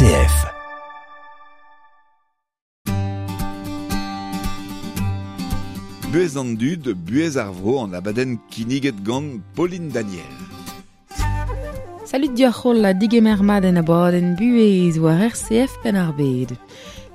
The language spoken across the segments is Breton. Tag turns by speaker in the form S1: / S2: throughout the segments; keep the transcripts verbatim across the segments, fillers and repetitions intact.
S1: R C F.
S2: Buez an dud, buez ar vro an abadenn kinniget gant Pauline Daniel.
S3: Salut dioc'h la digemer mat en abadenn buez war R C F Penn-ar-Bed.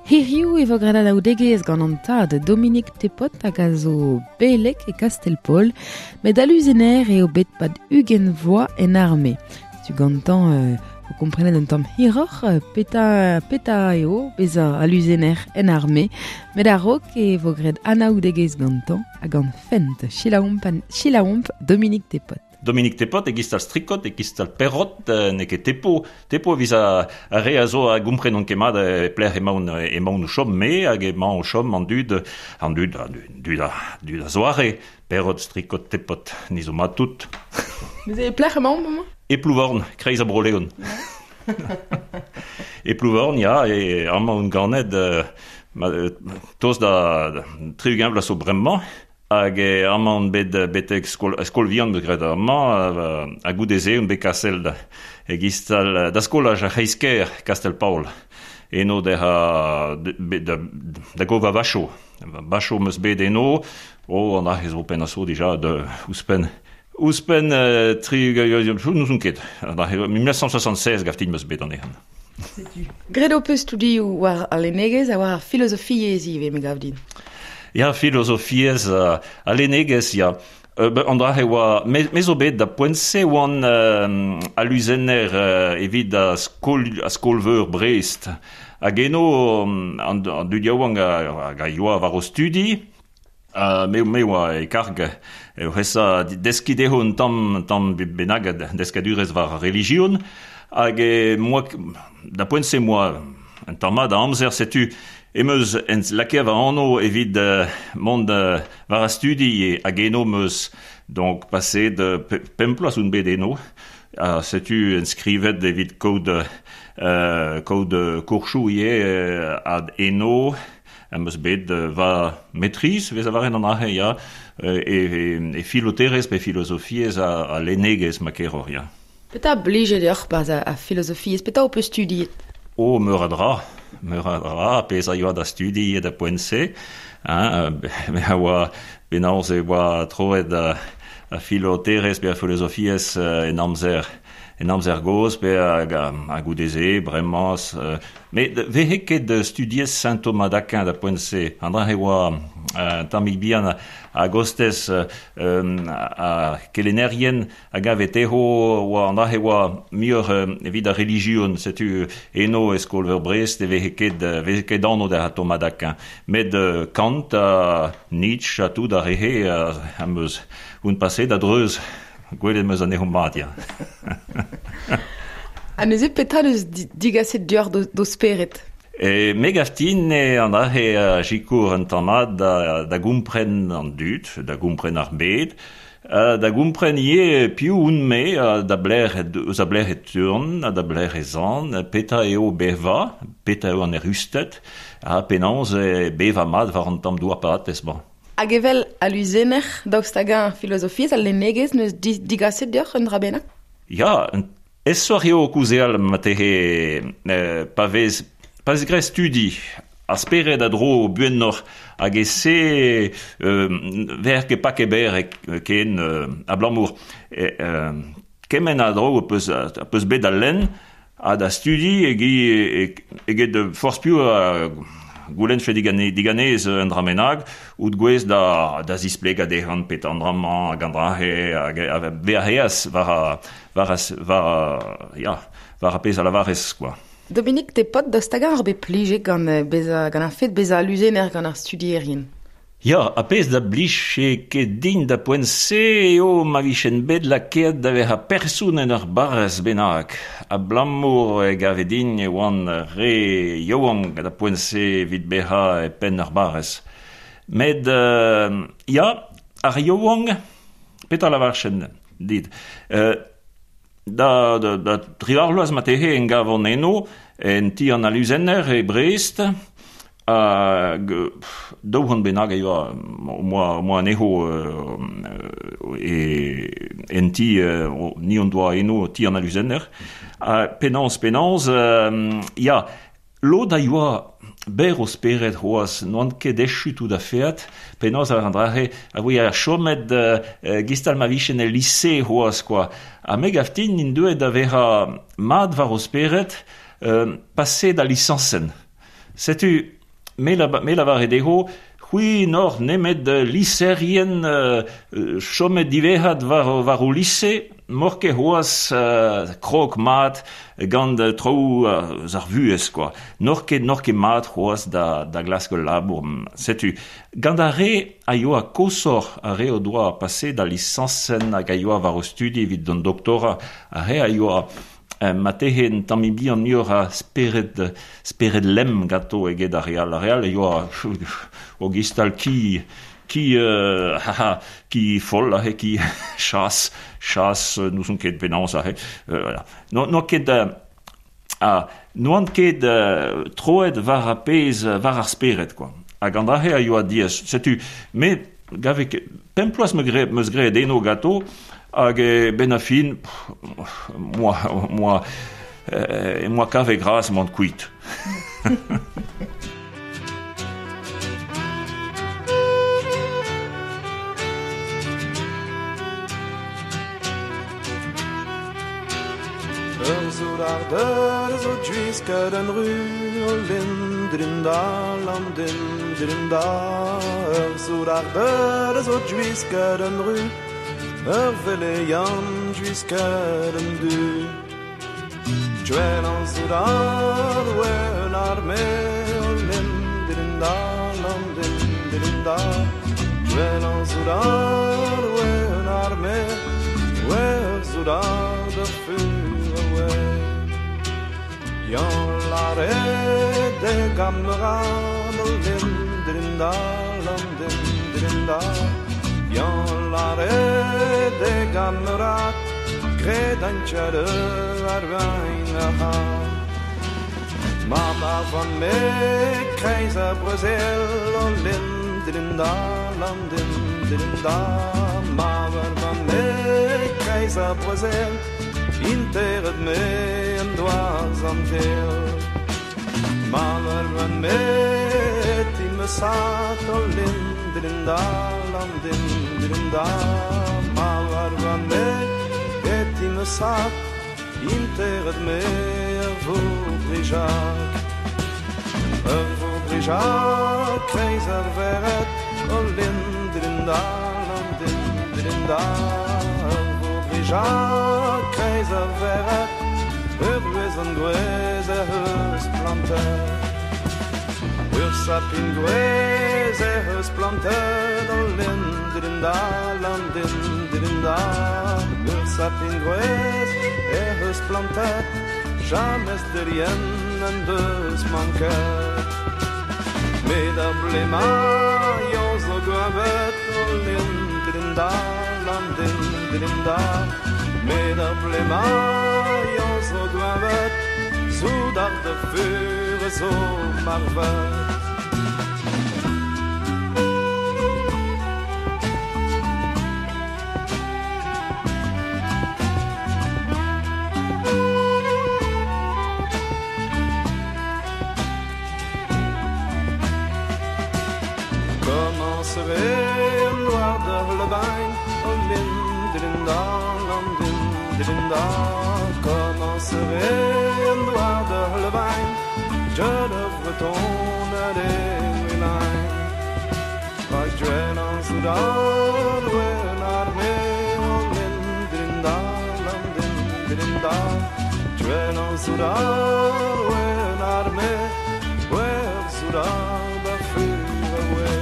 S3: Hiriv e vo graet anaoudegezh gant an tad Dominique Tepot hag a zo belek e Kastel-Paol, met aluzener eo bet pad ugent vloaz en arme. Setu gantañ euh, o komprenet un tamm hiroc'h, peta, peta eo bezañ aluzener en arme, met a-raok e vo graet anaoudegezh gantañ hag gant fent. Selaouomp an, selaouomp Dominique Tepot.
S4: Dominique Tepot, e gistal strikot, e gistal perrot, n'eo ket tepo. Tepo evit a, a re a zo a gomprenon ket mat e plec'h emaon, emaon o chom me hag emaon o chom an dud, an dud, an dud, dud a, dud a zoare. Perrot, strikot, tepot, ni zo mat tout.
S3: Vous avez plec'h emaon, maman?
S4: E Plouvorn, kreiz a Bro-Leon. E Plouvorn, ya, e amañ on ganet, euh, ma, toz da, da tri-ugent vloaz zo bremañ. Hag e amañ on bet betek skol, skol vihan bet graet amañ, ha goude-se on bet kasel da, e gistal da skolaj ar C'hreisker, Kastel-Paol. Eno da, da, da gova vacho. Vacho meus bet eno, oh, an ahe zo penn a zo dija de ouzhpenn. Ouzhpenn euh, tri, n'ouzon ket. An ahe, mil neuf cent soixante-seize gaftin meus bet an ehan.
S3: Setu. Graet ho peus studioù war al lennegezh ha war ar filozofiezh ivez, me gav din.
S4: Ya, filozofiezh uh, a lennegezh, ya. Euh, ben, an dra e oa, me, me zo bet da poent-se oan euh, aluzenner euh, evit a skol, a skol-veur Brest. Hag eno, an, an dud yaouank hag a yoa war o studi, uh, me, me oa e karg, e c'hesa deski dezho un tamm, tamm bennak deskadurezh war ar relijion, hag e moa, da poent-se moa un tamm mat a amzer, setu em eus en lakaet va anv evit uh, mont uh, war ar studi e hag eno meus donc passé de pemp ploaz on bet eno. Ha setu enskrivet evit kaout, euh, kaout kourchoù ivez euh, ad eno am eus bet uh, va maîtrise, vez a varen an ahe, ya, e, e, e filoterezh pe filozofiezh a, a lennegezh ma keroc'h, ya.
S3: Petra blije deoc'h barzh a, a filozofiezh, petra ho peus studiet?
S4: Oh, meur a dra, meur a dra, pezh a yoa da studi e da poent-se, hein, me a oa penaos e oa troet a, a filoterezh pe a filozofiezh en amzer, en amzer gozh pe hag a, a goude-se, bremañ, euh, met vehe ket studiez Saint Thomas d'Aquin da poent-se, an dra e oa euh, tammig bihan a gostez euh, a kelennerien hag a veteho oa an dra e oa muioc'h euh, evit ar relijion, setu eno e skol-veur Brest e vehe ket, vehe ket anv da Thomas d'Aquin. Met euh, Kant ha Nietzsche ha tout ar rehe am eus un passé da dreuz gwelet meus anezho mat, ya.
S3: Ha neuze petra deus digaset deoc'h d'o, d'o spered?
S4: E me gaftin e an ahe a sikour un tamm mat da, da gompren an dud, da gompren ar bed, da gompren ivez piv on me, da blec'h eus a blec'h e turn, da blec'h e zan, petra eo beva, petra eo an erusted, ha penaos e beva mat war an tamm douar paratez ba.
S3: Hag evel aluzener daoust hag ar filozofiezh al lennegezh neus digaset deoc'h un dra bennak?
S4: Ya, esoc'h eo kouzeal matehe euh, pa vez pa vez graet studi ar spered a dro buennoc'h hag e se euh, ver ket pa ket ber ken euh, abalamour e, euh, kement a dro peus, a peus bet da lenn ha da studi egi eget forzh piv a goulenn fe digane, diganez un dra bennak out gwez da, da zisplegañ dezhan pet an dra-mañ hag an dra-he hag a vezañ war a, war a, war a, ya, war a pezh a lavarez, quoi.
S3: Dominique Tepot, daoust hag ar bet plijet gant bezañ, gant ar fet bezañ aluzener gant ar studierien?
S4: Ya, a pezh da blije ket din da poent-se eo ma vichen bet lakaet da vezañ person en ur barrez bennak. Abalamour e gave din e oan re yaouank da poent-se evit bezañ e penn ur barrez. Met, euh, ya, ar yaouank, petra lavarchen dit? Euh, da, da, da tri ar bloaz matehe en gavon eno, en ti an aluzenner e Brest, Hag daou c'hant bennak a yoa moa, moa anezho euh, e, en ti, euh, ni on doa eno ti an aluzenner. Ha penaos, penaos, euh, ya, lod a yoa ber o spered c'hoaz, n'oant ket echu tout a feat, penaos ar an drahe, a voe a chomet euh, gistal ma vichen el lycée c'hoaz, quoi. Ha me gaftin int deuet da vera mad war o spered, euh, passé da lisansen. Setu, me la, me lavare dezho, c'hwi n'or nemet lycéerien euh, chomet divezhat war, war o lycée, mor ket c'hoaz euh, krog mat gant traoù euh, ar vuhez, quoi. N'or ket, n'or ket mat c'hoaz da, da glask ul labour. Setu, gant ar re a yoa kosor ar re o doa passé da lisansen hag a yoa war o studi evit d'an doktora, ar re a yoa Euh, ma tehe un tamm bihan muioc'h a spered, spered lem ganto eget ar real. Ar real e yoa o gistal ki, ki, euh, haha, ki foll ahe, ki chas, chas, n'ouzon ket penaos ahe. Euh, voilà. No, no ket, euh, ah, n'oant ket euh, troet war ar pezh, war ar spered, quoi. Hag an ahe a yoa diaes. Setu, me gave ket, pemp ploaz me gre, meus graet eno ganto, hag e ben a fin, pff, moa, moa, euh, moa kave gras mont kuit.
S1: Ur zoudard zo dwisket an ru o lindrinda, landindrinda. Ur zoudard zo dwisket an ru, ur veleian dwisket an du. Dwell an zoudard oe un arme o lindrinda, landindrinda. Dwell an zoudard oe un arme, oe ur zoudard ur fur oe. Yan lare de gamerad o lindrinda, landindrinda. Yan lare de gamerad, gred an tjere ar wein a ha. Mama van me kreiz a Brazil o lindrinda, landindrinda. Mama van me kreiz a Brazil, interet me en dwars an tel. Mama van me ti me sat o lindrinda, landindrinda. Mama van me ti me sat, interet me er voudrijak. Er voudrijak kreiz ar veret o lindrinda, landindrinda. Er voudrijak kreiz ar veret, ur gwez an gwez er eus planter. Ur sapin gwez er eus planter, o lindrinda, landindrinda. Ur sapin gwez er eus planter, jamez derien en deus manket. Met ar blema yon zo gwavet, o lindrinda, landindrinda. Met ar blema yon zo gwavet, zoudard de fur zo marvet. Commencerait noir de lebain, o lindrinda, landindrinda. Commencerait noir de lebain, je le breton a des lines. Rag dwell an soudard, oe un arme, o lindrinda, landindrinda. Dwell an soudard, oe un arme, oe ur soudard a fur oe.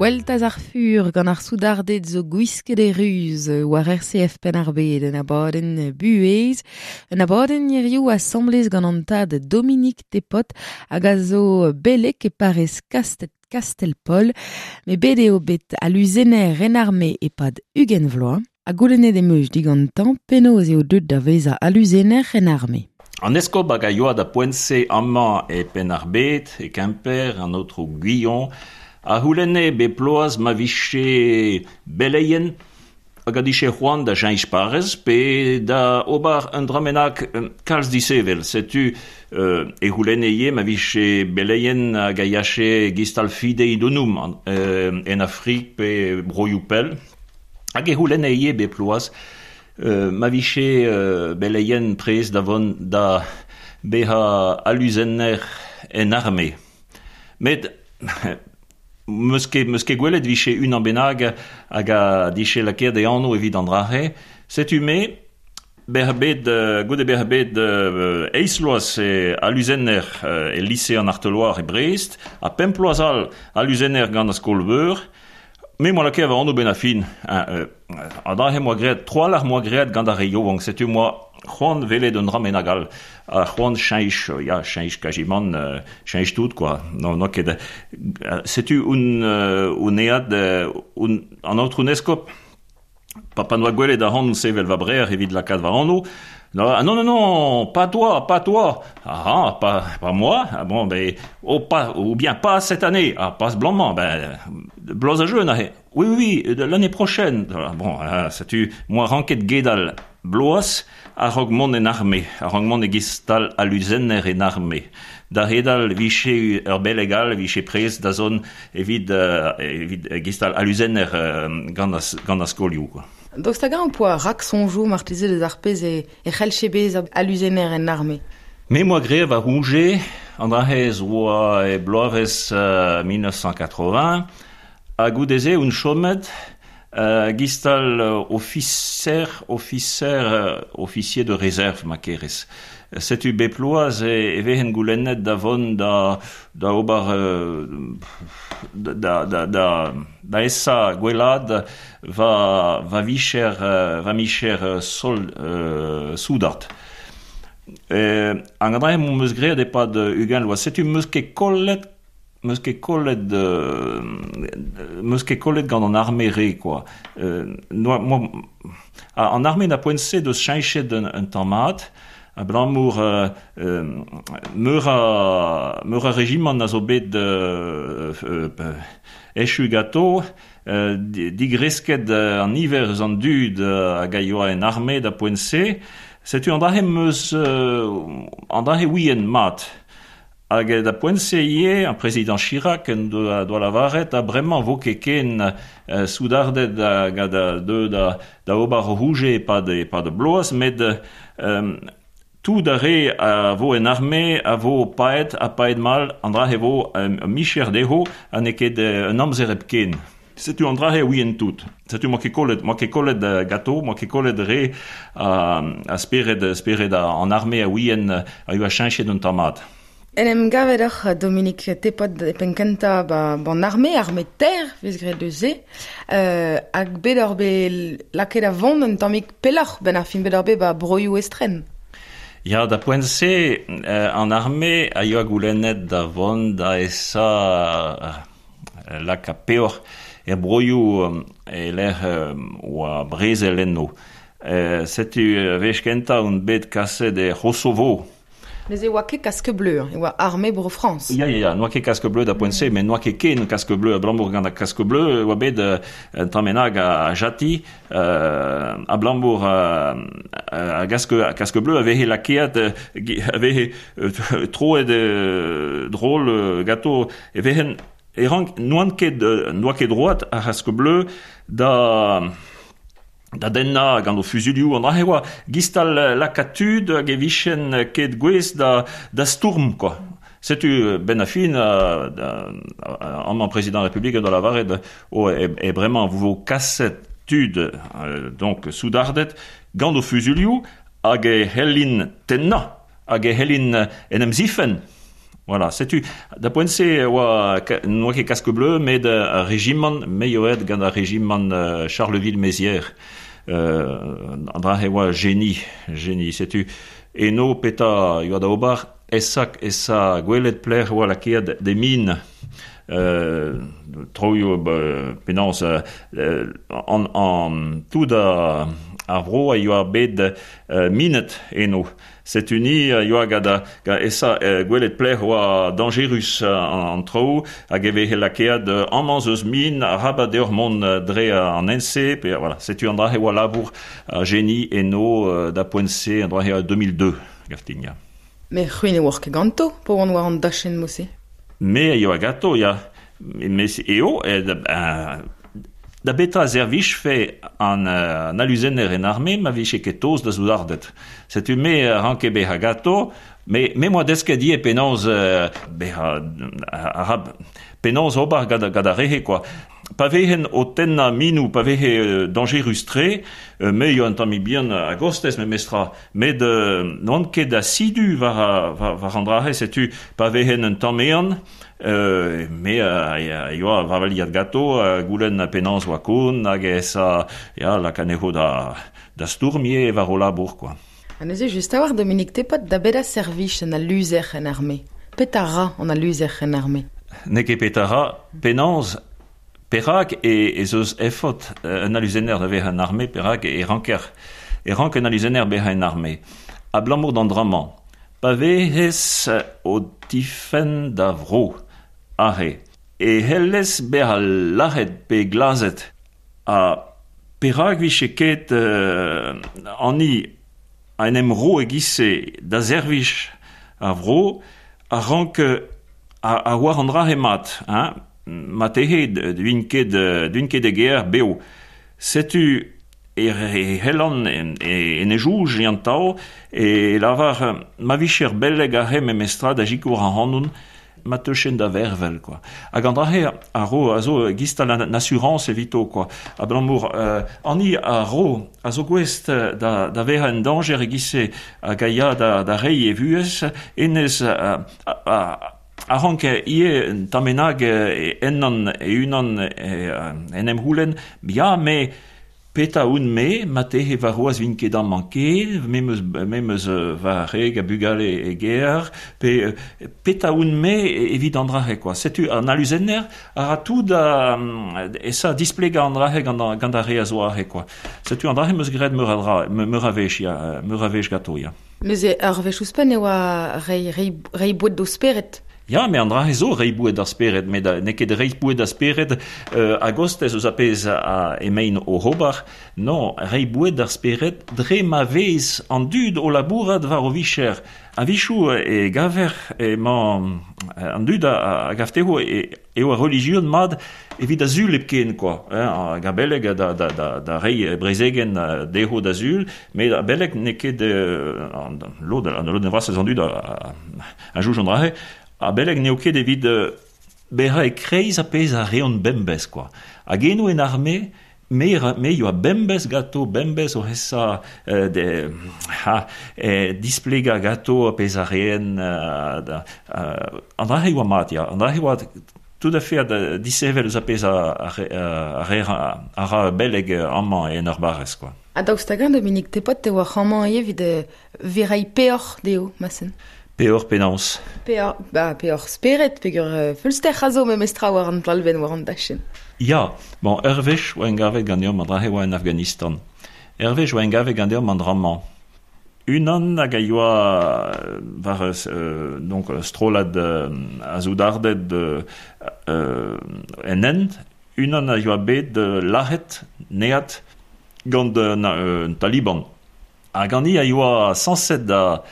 S3: Gweltaz ar fur gant ar soudarded zo gwisket e ruz war R C F Penn-ar-Bed en abadenn buhez. Un abadenn hiziv asamblez gant an tad Dominique Tepot hag a zo belek e parrez Kastel, Kastel-Paul, me bet eo bet aluzener en arme epad ugent vloaz. Ha goulennet em eus digantañ penaos eo deuet da vezañ aluzener en arme.
S4: An eskob hag a yoa da poent-se amañ e Penn-ar-Bed, e Kemper, an aotrou Guillon, a c'houlenne be ploaz ma viche beleien hag a diche c'hoant da cheñch parrez pe da ober un dramenak kalz disevel. Setu euh, e c'houlenne ivez ma viche beleien hag a yache gistal fidei donum euh, en Afrik pe broioù pell. Hag e c'houlenne ivez be ploaz euh, ma viche euh, beleien prez da vont da beha aluzenner en arme. Met Meus ket, meus ket gwelet viche unan bennak hag a diche lakaet e anv evit an dra-se. Setu me, bezañ bet, euh, goude bezañ bet euh, eizh vloaz e aluzenner euh, e lise an Arteloire e Brest, ha pemp vloaz all aluzenner gant ar skol-veur, me moa lakaet va anv ben a fin. Hein, euh, an dra-se moa graet, troalc'h moa graet gant ar re yaouank. Setu moa c'hoant welet un dra bennak all. Ha c'hoant cheñch, ya, cheñch kajimant, euh, cheñch tout, quoi. Non, non ket, euh, setu un, euh, un ead, euh, un, an aotrou eskob, pa pa noa gwelet ac'hanon sevel va brec'h evit lakaat va anv. Non, ah, non, non, non, pas toi, pas toi. Ah, ah, pas, pas moi. Ah, bon, ben, oh, pas, ou bien pas cette année. Ah, pas ce blanc, ben, bloaz a jeune, ah, oui, oui, oui, l'année prochaine. Ah, bon, ah, setu, moi ranket gedal bloaz a-raok mont en arme, a-raok mont e gistal aluzenner en arme. Da hedal viche ur beleg all, viche prez da zon evit, euh, evit gistal aluzenner euh, gant ar, gant ar skolioù, quoi.
S3: Daoust hag-eñ ho poa rak soñjoù marteze deus ar pezh e, e c'hellche bezañ aluzenner en arme?
S4: Me moa graet va rouge, an dra-se oa e bloavezh euh, mil neuf cent quatre-vingts, ha goude-se on chomet euh, gistal ofiser, ofiser, euh, officier de réserve ma kerez. Setu bep bloaz e, e vehen goulennet da vont da, da ober, euh, da, da, da, da esa gwelad va, va vicher, euh, va micher euh, sol, euh, soudard. Euh, an dra m'am eus graet epad ugent vloaz. Setu m'eus ket kollet, m'eus ket kollet, euh, m'eus ket kollet gant an arme re, quoi. Euh, noa, moi, an arme na poent-se deus cheñchet un, un tamm mat, abalamour euh, euh, meur a, meur a rejimant a zo bet euh, euh, echu ganto, euh, digresket an niver eus an dud hag a yoa en arme da poent-se. Setu an dra-se m'eus, euh, an dra-se ouien mat. Hag da poent-se ivez, an prezidant Chirac en doa, doa lavaret, ha bremañ vo ket ken, euh, soudarded hag a da, deu da, da ober rouge epad, epad bloaz, met, euh, tout ar re a vo en arme a vo paet ha paet mal, an dra-se vo un, un micher dezho ha n'eo ket un amzer hepken. Setu an dra-se ouien tout. Setu moa ket kollet, moa ket kollet gato, moa ket kollet re a, a spered, spered a, an arme a ouien a yoa cheñchet un tamm mat.
S3: En em gavet oc'h Dominique Tepot e penn kentañ ba, ban arme, arme ter, vez graet deus se, euh, hag bet oc'h bet lakaet a vont un tammig pelloc'h ben ar fin bet oc'h bet ba broioù estren.
S4: Ya, da poent-se, euh, an arme a yoa goulennet da vont da esa euh, laka peoc'h er broioù euh, e lec'h euh, oa brezel enno. Euh, setu wech kentañ on bet kaset e Kosovo.
S3: Mais e oa ket casque bleu, e oa arme bro France.
S4: Ya, ya, ya, n'oa ket casque bleu da poent-se, met n'oa ket ken casque bleu, abalamour gant ar casque bleu, oa bet euh, un tamm bennak a, a jati, euh, abalamour a, a casque, a casque bleu a veze lakaet, a veze euh, troet euh, drôle euh, ganto, e vehen, e rank, n'oant ket, n'oa ket droat ar casque bleu da da dennañ gant o fuzulioù an dra-se oa gistal lakaat tud hag e vichen ket gwez da, da stourm, quoi. Setu ben a fin, amañ prezidant Republik da lavaret, oh, e, e bremañ vo kaset tud, euh, donc soudarded, gant o fuzulioù hag e c'hellin tennañ, hag e c'hellin en em zifen. Voilà, setu, da poent-se oa, n'oa ket casque bleu, met ar rejimant, me eo aet gant ar rejimant euh, Charleville-Mézières. Euh, an dra he oa geni, geni, setu, eno peta yoa da ober, esak esa gwelet pler oa lakeat de min, euh, troioù penaos euh, an, an tout a, ar vro a yoa bet euh, minet eno. Setu ni a yoa gant ga esa euh, gwelet pler oa dangerus an, an tro, hag e vehe lakeat euh, amañ eus min a rabat deoc'h mont dre an N C, pe, voilà, setu an dra he oa labour a geni eno euh, da poent-se an dra he a deux mille deux, gaftin, ya.
S3: Me c'hwi ne oar ket ganto, po oan war an dachenn mose?
S4: Me a yoa gato, ya. Me eo, e, da, da betra servij fe an, an aluzenner en arme, ma vije ket toz da zoudardet. Setu me ranke beha gato, me, me moa desket die penaos euh, beha, arab, penaos ober gant, gant ar rehe, quoi. Pa vehen o tenna minou, pa vehe dangerus tre, me yo an tamm bihan a gostez me mestra, met euh, n'oan ket asidu war, war, war an drahe, setu pa vehen un tamm ean, euh, me a, a yoa war valiad gato, a goulenn penaos oa kon, hag esa, ya, lakaneho da, da stourmier war o labour, quoi.
S3: Ha neuze just a war Dominique Tepot da beda servij en aluzer en arme. Peta ra an aluzer en arme?
S4: N'eo ket peta ra, penaos perak e, ez eus efot un aluzenner da vezañ en arme, perak e ranker, e rank un aluzenner bezañ en arme. Abalamour d'an dra-mañ, pa vez o tifenn da vro, arre, e hellez bezañ lâret pe glazet, ha perak vije ket euh, ani a en em ro e giz-se da servij ar vro, a rank a, a war an dra he mat, hein? Ma tehe d'uin ket, d'uin ket e ger beo. Setu e, e hellan en, e, en e jouj e an tao, e lavar ma vicher belleg a he memestra da jikour an hanoun, ma teuchen da vervel, quoi. Hag an drahe a ro a zo gistal an assurance evito, quoi. Abalamour euh, ani a ro a zo gouest da, da vezañ en danger e giz-se hag a ya da, da reiñ e vuhez, enez a, a, a A rank ie un tamenag ennan e unan en em houlen, ya me peta un me, ma tehe war roaz vin ket amañ ket, me meus, me meus va reg a bugale e ger, pe peta un me evit an drahe, quoi. Setu an aluzenner a ra tout da, esa displega an drahe gant, gant ar re a zo ahe, quoi. Setu an drahe meus graet meur a dra, meur a wech, ya, meur a wech gato, ya.
S3: Neuze ur wech ouzhpenn e oa rei, rei, rei boued d'o spered.
S4: Ya, me an dra zo rei boued d'ar spered, met n'eo ket rei boued d'ar spered euh, a gostez eus a pezh a emaint o ober. Non, rei boued d'ar spered dre ma vez an dud o labourat war o vicher. A vichou e gaver emañ an dud a, a gafteho e, eo a religion mad evit a zul hepken, quoi. Hein, hag a beleg da, da, da, da rei brezegen dezho da zul, met a beleg n'eo ket euh, lod, an lod vras eus an dud a, a, a jouj an drahe, a beleg n'eo ket evit euh, bezañ e kreiz a pezh a reont bembez, quoi. Hag eno en arme, me, me yoa bembez gato, bembez o hesa euh, de, ha, eh, displega gato a pezh a reen, euh, da, euh, an dra he oa mat, ya. An dra he oa tout à fait a disevel eus a pezh a, a, a, a, a ra beleg amañ en ur barrez, quoi.
S3: Ha daoust hag-eñ, Dominique Tepot, te oa amañ evit verai peoc'h dezho, masen?
S4: Peoc'h penaos?
S3: Peoc'h, ba, peoc'h spered, peogwir uh, feulster a zo memestra war an talbenn war an dachenn.
S4: Ya, bon, ur wech oa engavet ganeomp an dra-se oa en Afghanistan. Ur wech oa engavet ganeomp an dra-mañ. Unan hag a yoa war euh, donc strollad euh, a zoudarded euh, euh, en hent, unan a yoa bet euh, lâret, neat, gant un, un Taliban. Hag an i a yoa sañset da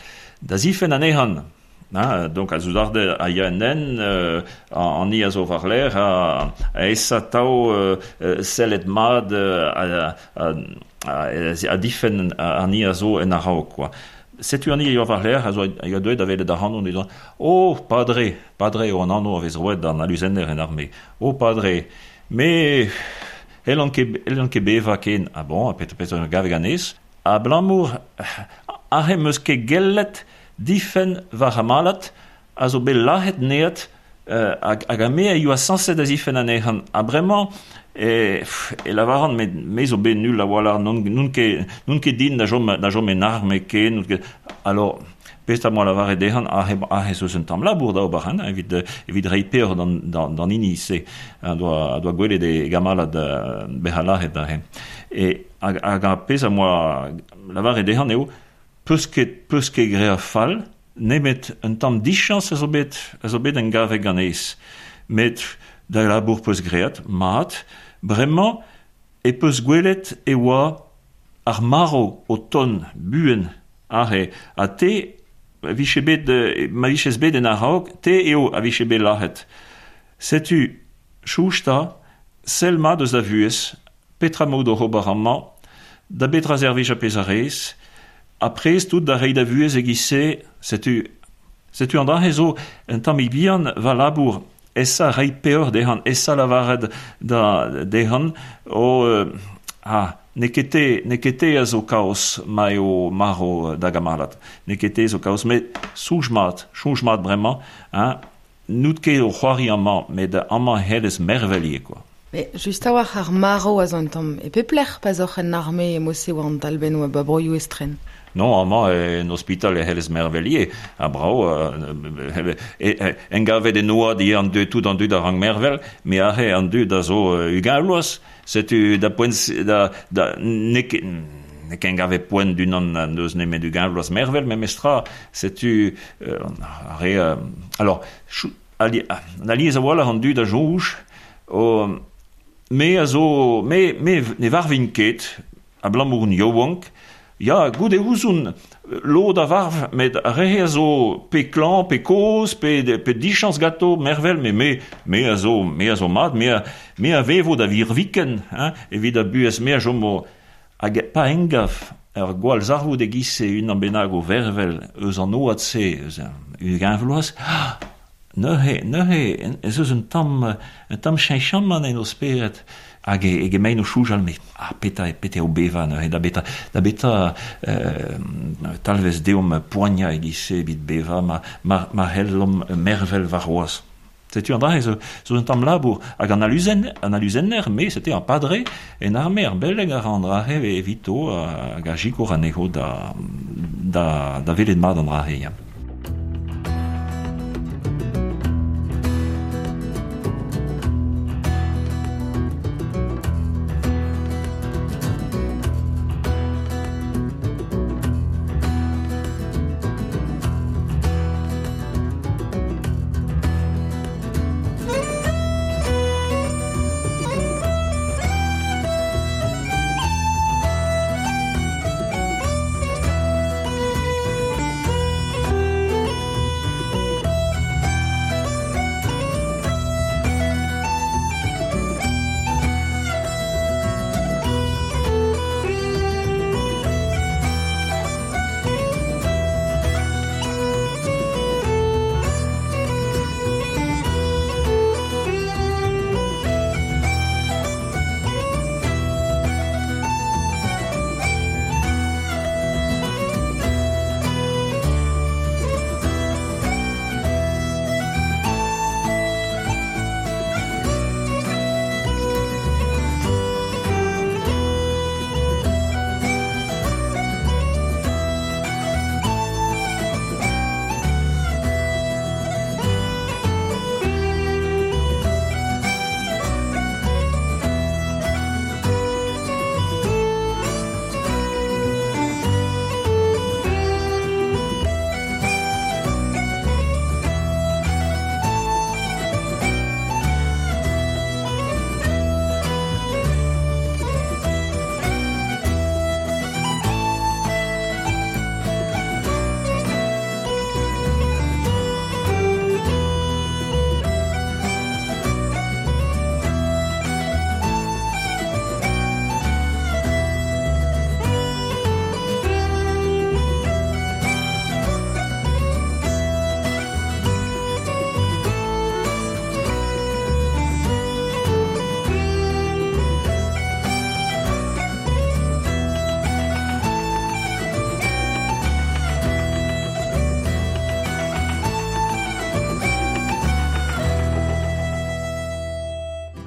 S4: da zifenn anezhan. Hein, donc a zoudarde a ya en en, euh, an i a zo war l'air, a, a esa tao euh, sellet mad a, a, a, a difenn an i a zo en a-raok, quoi. Setu an i a yoa war l'air, a zo a yoa deuet da welet ac'hanon, e doa, oh, padre, padre eo an anv a vez roet d'an aluzenner en arme, oh, padre, me hellan ket, hellan ket bevañ ken, ah bon, a pet, pet gave ganez, abalamour arre meus ket gellet difenn war amalat a zo bet lahet neat, euh, hag, hag a me a yoa sañset da zifen anezhan. Ha bremañ, e, e lavaran, me, me zo bet nul a-walc'h, n'on, n'on ket, n'on ket din da chom, da chom en arme ken, n'on ket... Alors, pezh a moa lavaret dezhan, aze, aze eus un tamm labour da ober, hein, evit, evit reiñ peoc'h d'an, d'an, d'an hini se, a doa, a doa gwelet e gamalad bezañ lahet aze. E, hag, hag ar pezh a moa lavaret dezhan eo, peus ket, peus ket graet fall, nemet un tamm dichañs a zo bet, a zo bet en gavek ganez. Met da labour peus graet, mat, bremañ e peus gwelet e oa ar maro o ton buen aze, ha te vije bet, ma viches bet en a-raok, te eo a vije bet lahet. Setu, chousta, sell mat eus da vuhez, petra maout oc'h ober amañ, da betra servij a pezh a rez, ha prest tout da reiñ da vuhez e-giz-se, setu, setu an dra-se zo un tammig bihan va labour, esa reiñ peoc'h dezhan, esa lavaret da dezhan, o, euh, ah, n'eo ket te, n'eo ket te a zo kaoz ma eo marv da gamalad. N'eo ket te zo kaoz, met soñj mat, soñj mat bremañ, hein, n'out ket o c'hoari amañ, met amañ c'hellez mervel ivez, quoi.
S3: Mais just a-walc'h ar marv a zo un tamm e pep lec'h pa zoc'h en arme e mod-se war an talbenn oa ba broioù estren.
S4: Non, amañ en ospital e c'hellez mervel ivez, ha brav, euh, e, e, engavet en oad ivez an dud, tout an dud a rank mervel, me aze an dud a zo ugent vloaz, setu da poent da, da n'eo ket, n'eo ket engavet poent d'unan n'eus nemet ugent vloaz mervel, memestra, setu euh, ar re, euh, alors, chou, ali, an alies a-walc'h an dud a soñj, o, me a zo, me, me ne varvin ket, abalamour on yaouank, ya, goude ouzon, lod a varv, met ar re a zo pe klañv, pe kozh, pe, pe dichañs ganto, mervel, me, me, me a zo, me a zo mat, me a, me a vevo da virviken, hein, evit a buhez, me a chomo, hag pa engav, ur gwall zarvoud e-giz-se unan bennak o vervel eus an oad-se, eus ugent vloaz, ah, neuze, neuze, ez eus un tamm, un tamm cheñchamant en o spered, hag e, e gemein o soñjal, met ah, petra, petra eo bevañ neuze, da beta, da beta euh, talvez deomp poaniañ e-giz-se evit bevañ, ma, ma, ma c'hellomp mervel warc'hoazh. Setu an dra zo, zo un tamm labour, hag an aluzen, an aluzenner, me, c'était un padre, en arme ar beleg a ra an dra-se evito, hag a sikour anezho da, da, da welet mat an dra-se, ya.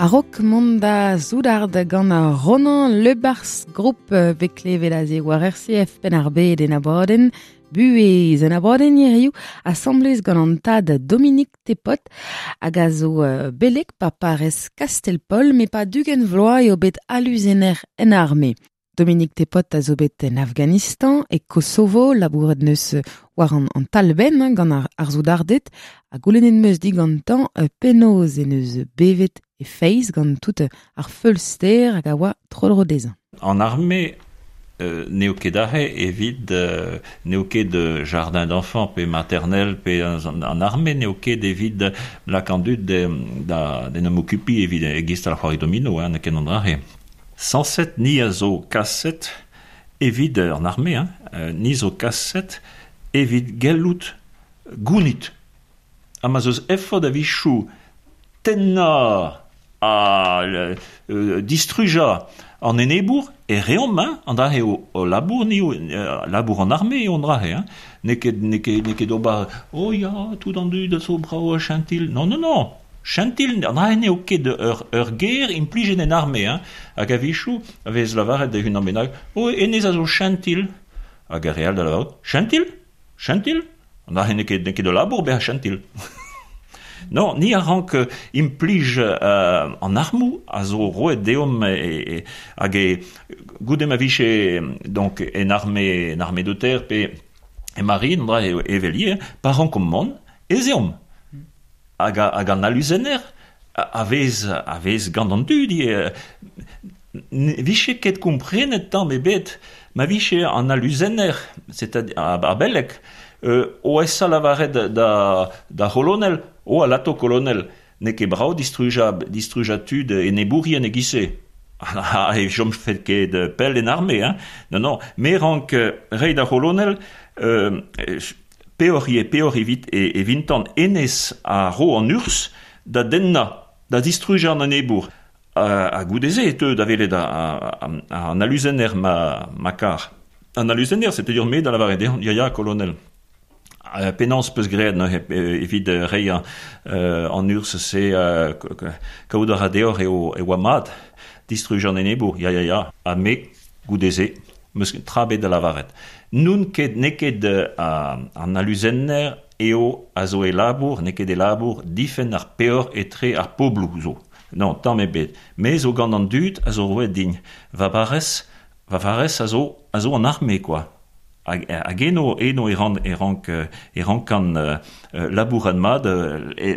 S3: A-raok mont da soudard gant ar Ronan Le Bars Group bet klevet aze war R C F Penn-ar-Bed en abadenn Buhez en abadenn hiziv asambles gant an tad Dominique Tepot hag a zo belek pa parrez Kastel-Paol me pa dugen vloaz eo bet aluzener en arme. Dominique Tepot a zo bet en Afghanistan e Kosovo, labouret neus war an, an talben hein, gant ar, ar zoudarded, ha goulennet meus digantañ penaos en eus bevet e feiz gant tout ar feulster hag a oa tro-dro dezhañ.
S4: An arme euh, n'eo ket aze evit euh, n'eo ket jardin d'enfants pe maternel pe an, an arme n'eo ket evit lak an dud de, da, d'en em okupi evit egist al c'hoari domino hein, n'eo ket an dra-se. Sañset ni a zo kaset evit an arme, hein, ni zo kaset evit gellout gounit. Ha ma zeus effort a-wechoù tennañ a euh, distrujañ an enebour e reomp, hein, an dra eo o labour ni, euh, labour an arme eo an dra hein. N'eo ket, n'eo ket, n'eo ket ober, oh ya, tout an dud a zo brao chentil. Non, non, non. Chentil, an dra n'eo ket ur, ur ger implijet en arme, hein. Hag a-wechoù a vez lavaret da unan bennak, oh, hennezh a zo chentil. Hag ar re all da lavarout, chentil? Chentil? An dra n'eo ket, n'eo ket de labour bezañ chentil. Non, ni a rank implij euh, an armoù a zo roet deomp e, e, hag e goude ma vije donc en arme, en arme de terre pe e marine, dra e, evel pa rankomp mont, ez eomp. Hag, hag an aluzener a vez, a vez gant an dud, e, vije ket komprenet tamm ebet, ma vije an aluzener, c'est-à-dire a belek, euh, o esa lavaret da, da c'holonel, o alato kolonel, n'eo ket brao distruja, distruja tud enebourien e-giz-se. Ah, e chom fet ket pell en arme, hein. Non, non, me rank reiñ da c'holonel, euh, peoc'h eo, peoc'h evit e, e vintan enez a ro an urzh da dennañ, da distrujañ an enebour. Ha, ha goude-se e teu da welet an aluzener ma, ma kar. An aluzener, c'est-à-dire me da lavaret dezhañ, ya ya, kolonel. Euh, penaos peus graet neuze evit reiñ euh, an urzh se euh, kaout a ra deoc'h eo e oa mat distrujañ an enebour, ya ya ya, ha me goude-se meus tra bet da lavaret. N'on ket n'eo ket uh, an aluzener eo a zo e labour, n'eo ket e labour difenn ar peoc'h etre ar pobloù zo. Non, tamm ebet. Me zo gant an dud a zo roet din. Va barrez, va barrez a zo, a zo an arme, quoi. Hag, hag eno, eno e ran, e rank, e rankan uh, labourat mat, e,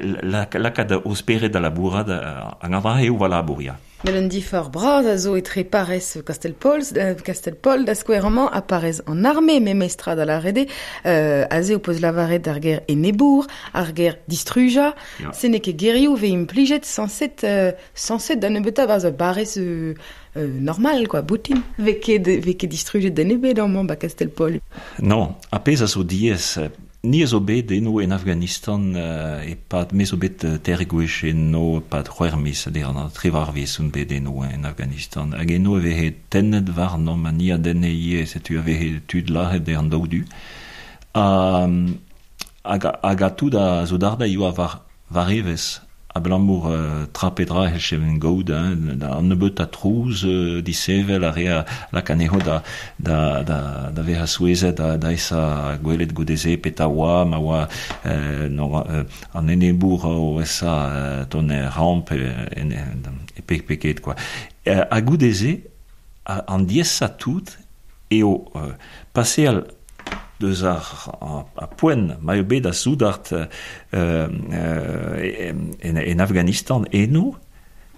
S4: lakaat o spered da labourat, hag an dra eo va labour, ya.
S3: Met un difor bras a zo etre parrez Kastel-Paol, Kastel-Paol da skouer amañ ha parrez an arme memestra da lâret eo, euh, aze o peus lavaret ar ger enebour, ar ger distrujañ,
S4: Ya.
S3: se n'eo ket gerioù vez implijet sañset, euh, sañset da nebeutañ barzh ur barrez euh, euh, normal, quoi, boutin. Vez ket, vez ket distrujet den ebet amañ ba Kastel-Paol.
S4: Non, a pezh a zo diaes, ni a zo bet eno en Afghanistan euh, e-pad me zo bet teir gwech eno e-pad c'hwec'h miz, c'est-à-dire an triwec'h miz on bet eno en Afghanistan. Hag eno e veze tennet warnomp, ha ni a denne ivez, setu a veze tud lazhet dre an daou du. Ha, hag, hag a tout a soudarded a yoa war, war evezh, abalamour euh, tra pe dra e cheven gaout, hein, da an nebeut a trouz euh, disevel a rea lak anezho da, da, da, da vezañ souezhet, da, da esa gwelet goude-se petra oa, ma oa euh, no, euh, an enebour o esa euh, tont er ramp e, en, e pe, pe ket, quoi. Euh, ha goude-se, an diaesañ tout eo euh, paseal deus ar, ar, ar poent ma eo bet a soudard euh, euh, en, en Afghanistan eno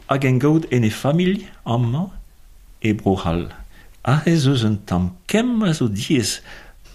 S4: hag en gaout en e familh amañ e Bro-C'hall. Aze ez eus un tamm kemm a zo diaes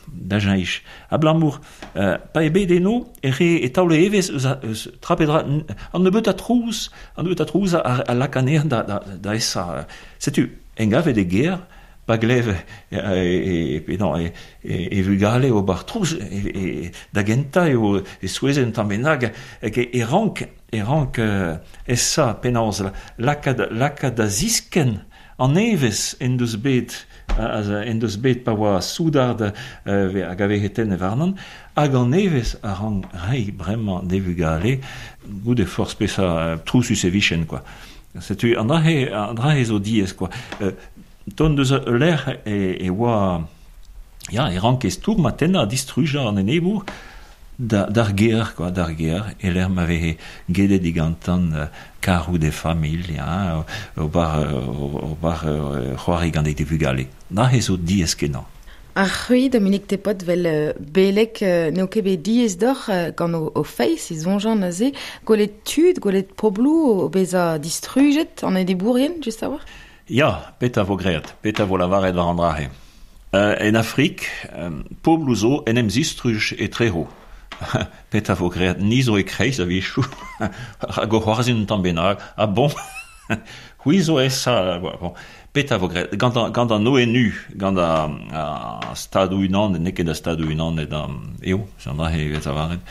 S4: da cheñch. Abalamour, euh, pa eo bet eno e re e taole evezh eus, a, eus tra pe dra, an nebeut a trouz, an nebeut a trouz a, a lak anezhañ da, da, da esa. Setu, en gavet e ger, pa glev e, e, e, non, e, e, e vugale ober trouz, e, e, da gentañ eo e souezhet un tamm bennak, hag e, e rank, e rank euh, esa penaos lakaat, lakaat da ziskenn an evezh en deus bet, a, a, en deus bet pa oa soudard euh, hag a veze tennet warnon, hag an evezh a rank reiñ bremañ d'e vugale, goude forzh peseurt trouzus e vijen, quoi. Setu an drahe, an drahe zo diez, quoi. Euh, ton deus lec'h e, e oa... Ya, e rank e stourm a tenna a distruja an enebour da, d'ar ger, quoi, d'ar ger, e lec'h ma vehe gedet digantan uh, karou de familh, ya, o bar, o bar c'hoari gant e vugale. Drahe zo diez kenañ.
S3: Ar c'hui, Dominique Tepot, vel uh, belek, uh, n'eo ket bet diez d'oc'h uh, gant o, o feiz, e zonjan aze, gwelet tud, gwelet poblou o beza distrujet an edebourien, just a war?
S4: Ya, peta vo great, peta vo lavaret war an drahe. Uh, en Afrik, um, poblou zo en em zistruj e treho. Peta vo great, ni zo e kreiz a vichou, hag o c'hoarzhin un tamm bennak, ah bon, c'hwi zo esa, bon. Peta vo graet, gant an, gant an O N U, gant a, a stadou unan, n'eo ket a stadou unan, et an, eo, an drahe evet avaret,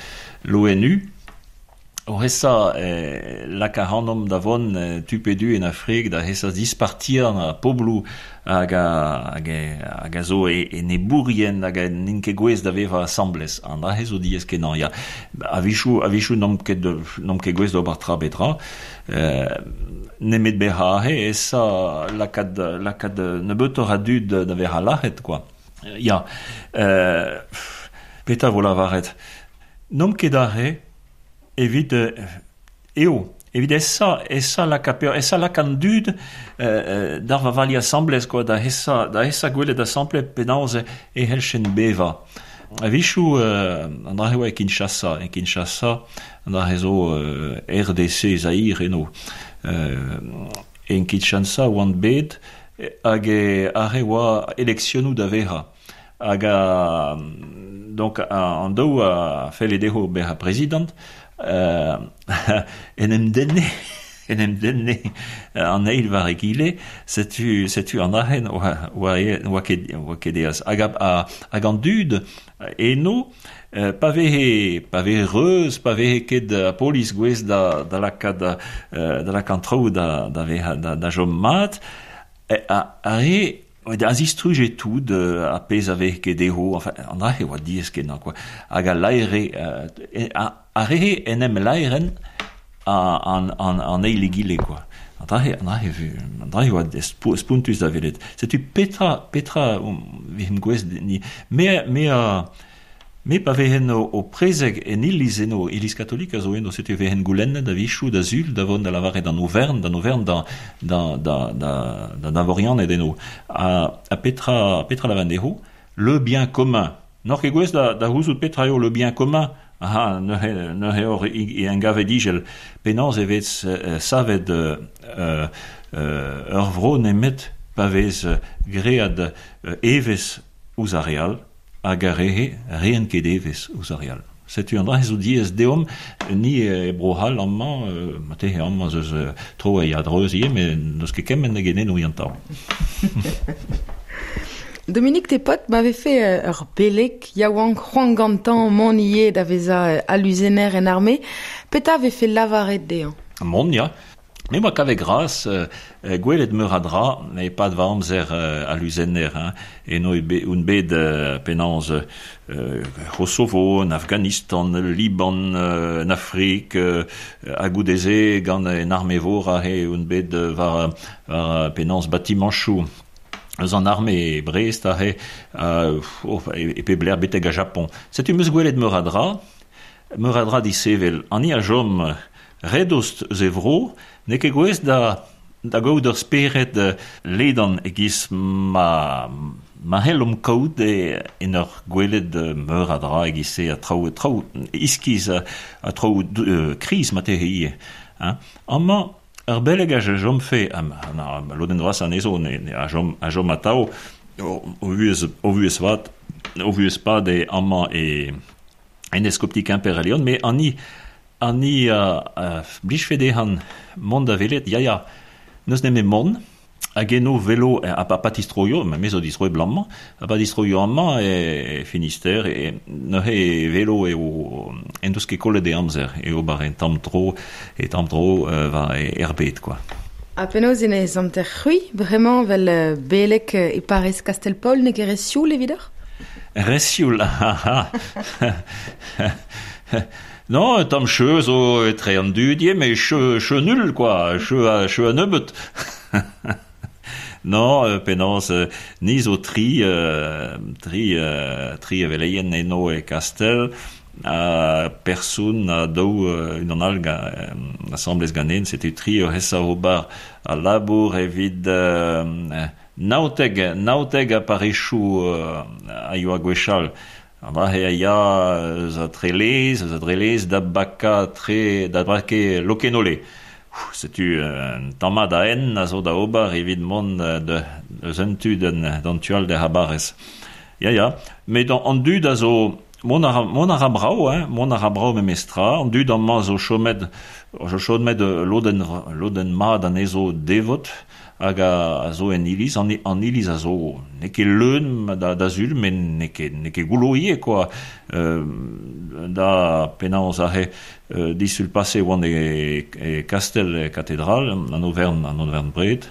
S4: l'O N U, o hesa eh, lak ac'hanomp da vont eh, tu pe du en Afrik, da hesa dispartir a poblou hag a, hag a, hag a zo e, e nebourien hag a n'int ket gwez da veva asamblez. An drahe zo diez kenañ, ya. A-vichou, a-vichou n'omp ket, n'omp ket gwez d'ober tra betra. Euh, nemet beha ahe esa lakad, lakad nebeutoc'h a dud da veha lac'het, quoi. Ya, euh, peta vo lavaret. N'omp ket ahe evit, eo, evit esa, esa laka peur, esa lak an dud euh, d'ar vavali asamblez, quoi, da esa, da esa gwelet asamble penaos e helchen beva. A-vichou, euh, an drahe oa e Kinshasa, e Kinshasa, an drahe zo euh, R D C Zaire eno. Euh, en Kinshasa oan bet, hag e arre oa eleksionou da veha. Hag a, donc, a, an daou a felle dezho beha prezident, euh, en em denne, en em denne an eil war egile, setu, setu an ahen oa, oa, oa ket, oa ket eaz. Hag, a, a, hag an dud eno, euh, pa vehe, pa vehe reuz, pa vehe ket a polis gwez da, da lakad, euh, da lak an traoù da, da veha, da, da jom mat, e, a, a re, da zistruje tout, a pez a vehe ket dezho, enfin, an ahe oa diez kenañ, quoi. Hag a laere, euh, a, a rehe en em laeren a, an, an, an eil egile, quoi. An drahe, an drahe, an drahe oa spo, spontus da velet. Setu petra, petra, um, vihim gwez ni, me, me a, me pa vehen o, o prezeg en iliz eno, iliz katolik a zo eno, setu vehen goulennet da vichou da zul, da vont da lavaret d'an Auvern, d'an Auvern da, da, da, da, da, da Vorian ed eno. A, a petra, petra lavan dezho, le bien commun. N'oc'h ket gwez da, da gouzout petra eo le bien commun. Aha, neuze, neuze hor e engave digel penaos e vez euh, savet euh, euh, ur vro nemet pa vez gread euh, evez ouzh ar real hag ar rehe reen ket evez ouzh ar real. Setu an dra zo diez deomp ni e bro-C'hall amañ, euh, matehe amañ zeus euh, tro e adreuz ivez, met n'eus ket kement hag eno yantañ.
S3: Dominique Tepot m'avait fait ur belek yaouank c'hoant gantañ mont ivez da veza aluzener en armée. Peta avait fait lavaret dezhañ?
S4: Mont, ya. Me oa kavet gras, euh, gwelet meur a dra, e pad va amzer euh, aluzener, hein. Eno e be, un bet euh, penaos euh, Kosovo, en Afghanistan, Liban, euh, en Afrik, euh, hag goudeze gant en arme vor a he un bet war, war penaos batimanchou. Eus an arme e Brest a he, uh, oh, e, e pe bler betek a Japon. Setu meus gwelet meur a dra, meur a dra disevel. An i a jom redost eus e vro, n'eo ket gwez da, da gaout ur spered ledan e-giz ma, ma c'hellomp kaout e, en ur gwelet meur a dra e-giz-se a traoù, traoù iskiz a, a traoù euh, kriz matehe ivez. Hein. Amañ, ur beleg a jom fe, am, an, lodenn vras anezho, ne, ne, a jom, a jom atao, o, o vuhez, o vuhez vat, o vuhez pad e amañ e en eskopti Quimper a Leon, met an i, an i a, a blijfe dezhan mont da velet, ya ya, n'eus nemet mont, hag eno velo, a pa patistroio, ma me zo distroe blammañ, a pa distroio amañ e, e Finistère, e neuze e velo eo en deus ket kollet e amzer, eo bar en tamm tro, e tamm tro euh, war e erbet, quoi.
S3: A penaos en ez amter c'hwi, bremañ vel belek e Paris Castelpaul, ne ket re sioul evidoc'h?
S4: Resioul, ha, ha. Non, tamm cheu zo etre an dud ivez, met cheu, cheu nul, quoi, cheu a, cheu a nebeut. Non, euh, penaos, euh, ni zo tri, euh, tri, euh, tri eveleien eno e Kastel, a person a daou euh, unan all ga, euh, asamblez ganen, setu tri o hesa ober a labour evit euh, naoteg, naoteg a parechou euh, a yoa gwechall. An dra a ya eus a trelez, eus a drelez da baka tre, da brake lokenole. Setu un tammad a en a zo da ober evit mont de, eus un tu d'an, d'an tual de habarez. Ya, ya, met an, an dud a zo, mont a ra, mont a ra brao, hein, mont a ra brao memestra, an dud amañ zo chomet, zo chomet lodenn, lodenn mat anezho devot, hag a, a zo en iliz, an, an iliz a zo n'eo ket leun da, da zul, met n'eo ket, n'eo ket goullo ivez, quoi. Euh, da penaos aze euh, disul pase oan e, e Kastel e katedral, an overn, an overn bred,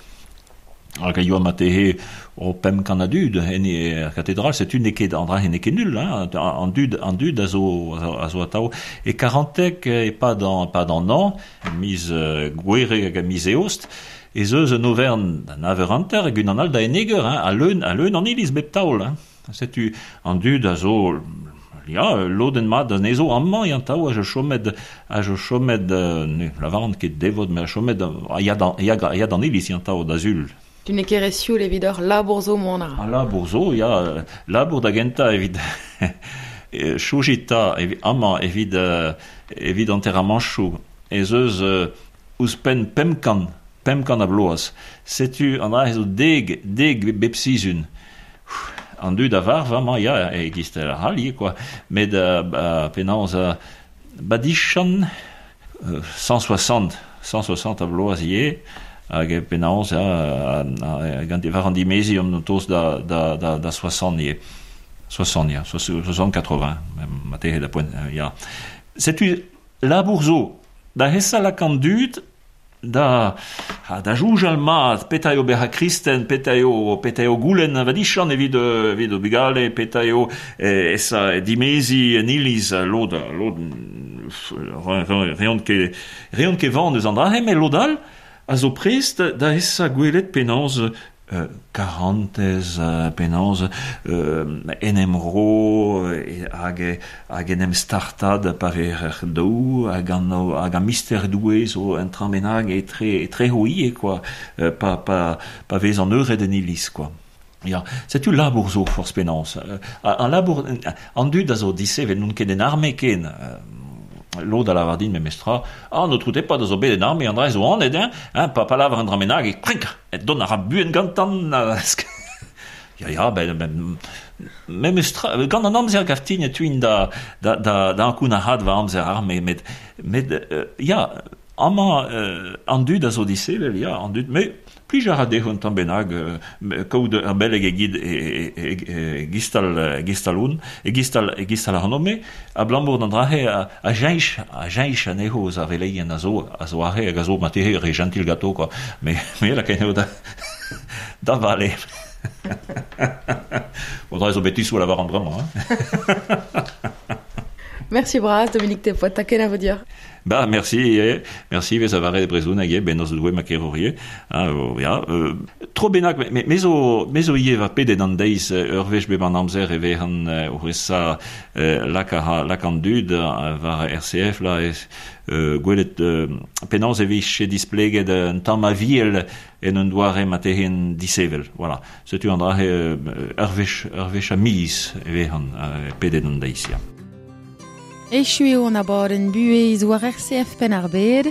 S4: hag a yoa matehe o pemp kant a dud en e katedral, setu n'eo ket an dra n'eo ket nul, hein, an dud, an dud a zo, a zo atao. E karantek e pad an, pad an an, miz uh, gwere hag a miz eost, ez eus un overn d'an aver hanter hag unan all da eneger, hein, a leun, a leun an iliz bep taol. Hein. Setu an dud a zo, ya, lodenn mat anezho amañ yan tao a jo chomet, a jo chomet, euh, ne, lavaran ket devot, met a chomet, a ya d'an, ya, ya d'an iliz yan tao da zul.
S3: Tu n'eo ket re sioul evit ur labour zo mont a ra.
S4: A labour zo, ya, labour da gentañ evit choujita evit, amañ evit, euh, evit enterramanchoù, ez eus euh, ouzhpenn pemp kant, pemp kant a bloaz. Setu an dra zo deg, deg bep sizhun. An dud a varv amañ, ya, e gistel ar c'hall ivez, quoi. Met euh, ba, penaos uh, badichan euh, cent soixante, cent soixante a bloaz ivez, hag e penaos, ya, gant war an dimezi an toz da, da, da, da soixante ivez. Soixante, ya, soixante, quatre-vingts, matehe da poent, ya. Setu labour zo, da hesa lak an dud, da, ha, da joujal mat, petra eo bezañ kristen, petra eo, petra eo goulenn vadichan evit, evit o bugale, petra eo eh, esa dimezi en iliz, lod, lod, reont ket, reont ket van eus an dra, met lod all a zo prest da esa gwelet penaos euh, karantez, euh, penaos euh, en em ro, hag, hag en em startad pa ver er daou, hag an, hag an mister doue zo un trañ bennak etre, etre ho ivez, quoi, euh, pa, pa, pa vez an eured en iliz, quoi. Ya, setu labour zo forzh penaos. Euh, an labour, an dud a zo disevel n'on ket en arme ken. Euh, lod a lavar din memestra, ah, n'o troute pas da zo bet en arme, an dra zo anet, hein, hein, pa, pa lavar an dra bennak, e krink, e don a ra buen gantan, ya, ya, ben, ben, memestra, gant an amzer gaftin e tuin da, da, da, da ankoun a had va amzer arme, met, met, euh, ya, amañ, euh, an dud a zo disevel, ya, an dud, met, plij a ra dezho un tamm bennak, euh, kaout ur beleg e gid e, e, e, e gistal, gistal oun, e gistal, e gistal ac'hanome, abalamour d'an dra-se a, a jeñch, a jeñch anezho eus ar veleien a zo, a zo aze hag a zo matehe re gentil gato, quoi. Me, me lakaen eo da, da vale. Bon, dra zo betisoù a lavar an bremañ, hein.
S3: Merci bras, Dominique Tepot, ta ken a vo dir.
S4: Ba, merci, eh, merci, vez a vare brezhon hag eo, bennoz doue ma kerorie. Hein, oh, ya, euh, tro bennak, me, me zo, me zo ivez va pedet an deiz, ur wech bep an amzer e vehan o resa euh, lak a, lak an dud war R C F, la, ez, euh, gwelet, euh, penaos e vije displeget un tamm a viel en un doare matehen disevel. Voilà. Setu an dra, euh, ur wech, ur wech a miz e vehan, euh, pedet an deiz, ya.
S3: Echu eo an abadenn buhez war R C F Penn-ar-Bed.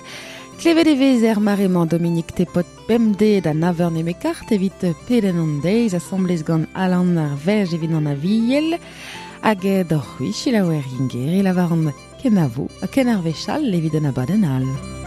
S3: Klevet e vez er mare-mañ Dominique Tepot bemdez da naveur nemekart evit pedenn an deiz asamblez gant Alan ar Verj evit an aviel. Hag d'hor c'hwi selaouer Ingeri lavar an kenavo ha ken ar wech all evit an abadenn all.